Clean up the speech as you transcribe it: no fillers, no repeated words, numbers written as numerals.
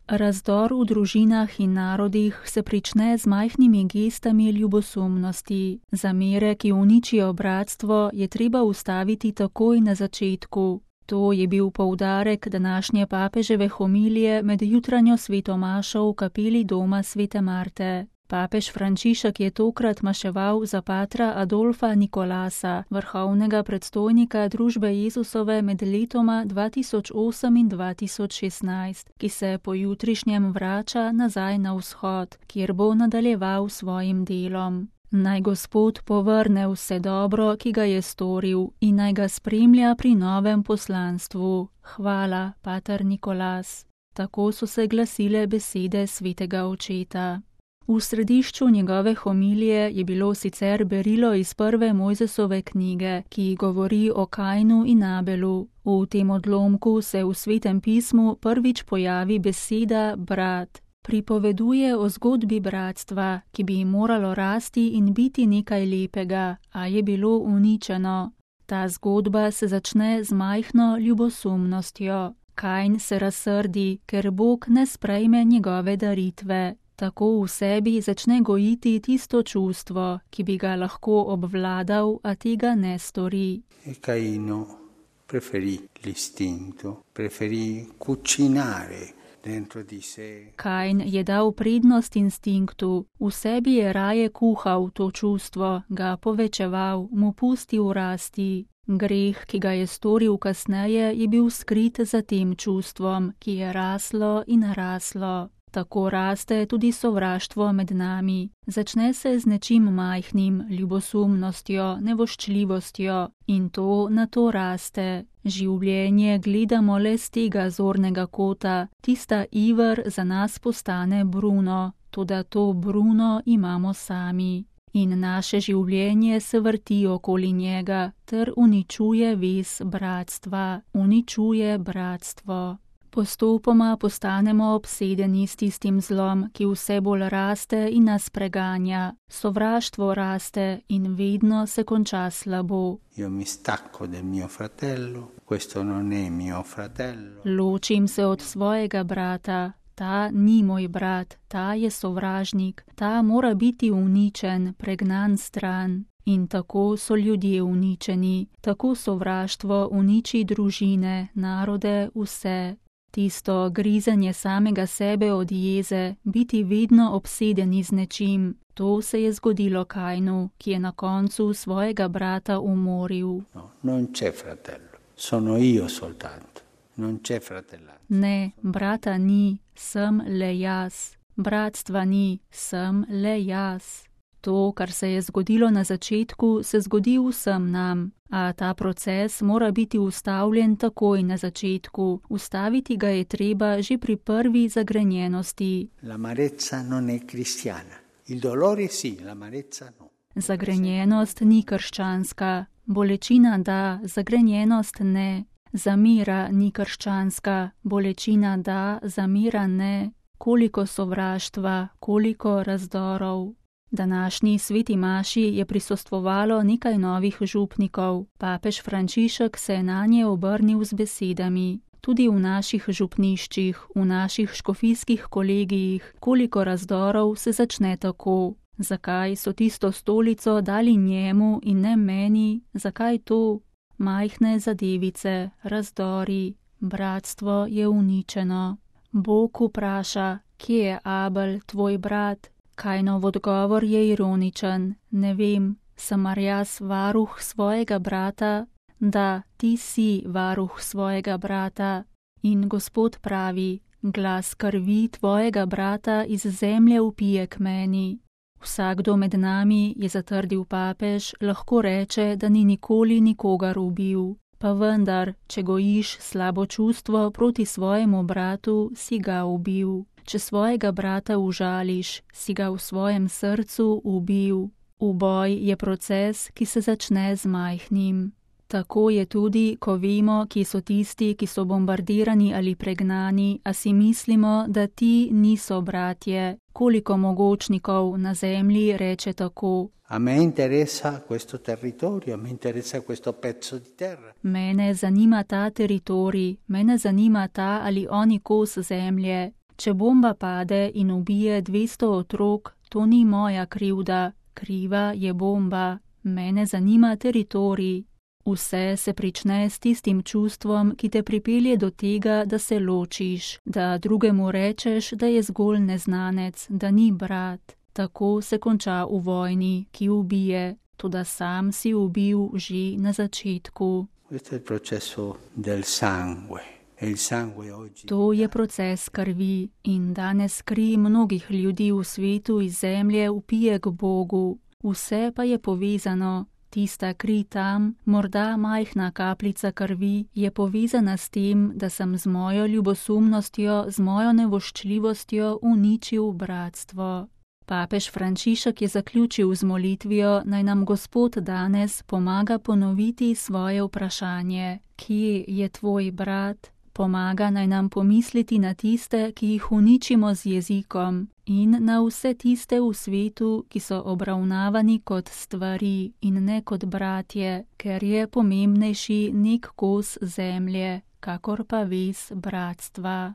Razdor v družinah in narodih se prične z majhnimi gestami ljubosumnosti. Zamere, ki uničijo bratstvo, je treba ustaviti takoj na začetku. To je bil poudarek današnje papeževe homilije med jutranjo sveto mašo v kapeli doma svete Marte. Papež Frančišek je tokrat maševal za patra Adolfa Nikolasa, vrhovnega predstojnika družbe Jezusove med letoma 2008 in 2016, ki se po jutrišnjem vrača nazaj na vzhod, kjer bo nadaljeval svojim delom. Naj Gospod povrne vse dobro, ki ga je storil, in naj ga spremlja pri novem poslanstvu. Hvala, pater Nikolas. Tako so se glasile besede svetega očeta. V središču njegove homilije je bilo sicer berilo iz prve Mojzesove knjige, ki govori o Kainu in Abelu. V tem odlomku se v Svetem pismu prvič pojavi beseda brat. Pripoveduje o zgodbi bratstva, ki bi moralo rasti in biti nekaj lepega, a je bilo uničeno. Ta zgodba se začne z majhno ljubosumnostjo. Kain se razsrdi, ker Bog ne sprejme njegove daritve. Tako v sebi začne gojiti tisto čustvo, ki bi ga lahko obvladal, a tega ne stori. Caino preferì l'istinto, preferì cucinare dentro di sé. Kain je dal prednost instinktu, v sebi je raje kuhal to čustvo, ga povečeval, mu pustil rasti. Greh, ki ga je storil kasneje, je bil skrit za tem čustvom, ki je raslo in raslo. Tako raste tudi sovraštvo med nami. Začne se z nečim majhnim, ljubosumnostjo, nevoščljivostjo, in to na to raste. Življenje gledamo le z tega zornega kota, tista iver za nas postane bruno, toda to bruno imamo sami. In naše življenje se vrti okoli njega, ter uničuje vez bratstva, uničuje bratstvo. Postopoma postanemo obsedeni s tistim zlom, ki vse bolj raste in nas preganja. Sovraštvo raste in vedno se konča slabo. Io mi stacco del mio fratello, questo non è mio fratello. Ločim se od svojega brata, ta ni moj brat, ta je sovražnik, ta mora biti uničen, pregnan stran. In tako so ljudje uničeni, tako sovraštvo uniči družine, narode, vse. Tisto grizenje samega sebe od jeze, biti vedno obsedeni z nečim, to se je zgodilo Kainu, ki je na koncu svojega brata umoril. No, non c'è fratello, sono io soltanto, non c'è fratellanza. Ne, brata ni, sem le jaz. Bratstva ni, sem le jaz. To, kar se je zgodilo na začetku, se zgodi vsem nam, a ta proces mora biti ustavljen takoj na začetku. Ustaviti ga je treba že pri prvi zagrenjenosti. L'amarezza non è cristiana. Il dolore sì, l'amarezza no. Zagrenjenost ni krščanska. Bolečina da, zagrenjenost ne. Zamira ni krščanska. Bolečina da, zamira ne. Koliko sovraštva, koliko razdorov. Današnji sveti maši je prisostvovalo nekaj novih župnikov. Papež Frančišek se je nanje obrnil z besedami. Tudi v naših župniščih, v naših škofijskih kolegijih, koliko razdorov se začne tako. Zakaj so tisto stolico dali njemu in ne meni? Zakaj to? Majhne zadevice, razdori, bratstvo je uničeno. Bog vpraša, kje je Abel, tvoj brat? Kainov odgovor je ironičen. Ne vem, sem mar jaz varuh svojega brata? Da, ti si varuh svojega brata. In Gospod pravi, glas krvi tvojega brata iz zemlje vpije k meni. Vsakdo med nami, je zatrdil papež, lahko reče, da ni nikoli nikogar ubil. Pa vendar, če gojiš slabo čustvo proti svojemu bratu, si ga ubil. Če svojega brata užališ, si ga v svojem srcu ubil. Uboj je proces, ki se začne z majhnim. Tako je tudi, ko vemo, ki so tisti, ki so bombardirani ali pregnani, a si mislimo, da ti niso bratje. Koliko mogočnikov na zemlji reče tako. A me interesa questo territorio, a me interesa questo pezzo di terra. Mene zanima ta teritorij, mene zanima ta ali oni kos zemlje. Če bomba pade in ubije 200 otrok, to ni moja krivda, kriva je bomba, mene zanima teritorij. Vse se prične s tistim čustvom, ki te pripelje do tega, da se ločiš, da drugemu rečeš, da je zgolj neznanec, da ni brat. Tako se konča v vojni, ki ubije, toda sam si ubil že na začetku. To je proces krvi in danes kri mnogih ljudi v svetu iz zemlje vpije k Bogu. Vse pa je povezano. Tista kri tam, morda majhna kapljica krvi, je povezana s tem, da sem z mojo ljubosumnostjo, z mojo nevoščljivostjo uničil bratstvo. Papež Frančišek je zaključil z molitvijo, naj nam Gospod danes pomaga ponoviti svoje vprašanje: kje je tvoj brat? Pomaga naj nam pomisliti na tiste, ki jih uničimo z jezikom, in na vse tiste v svetu, ki so obravnavani kot stvari in ne kot bratje, ker je pomembnejši nek kos zemlje, kakor pa vez bratstva.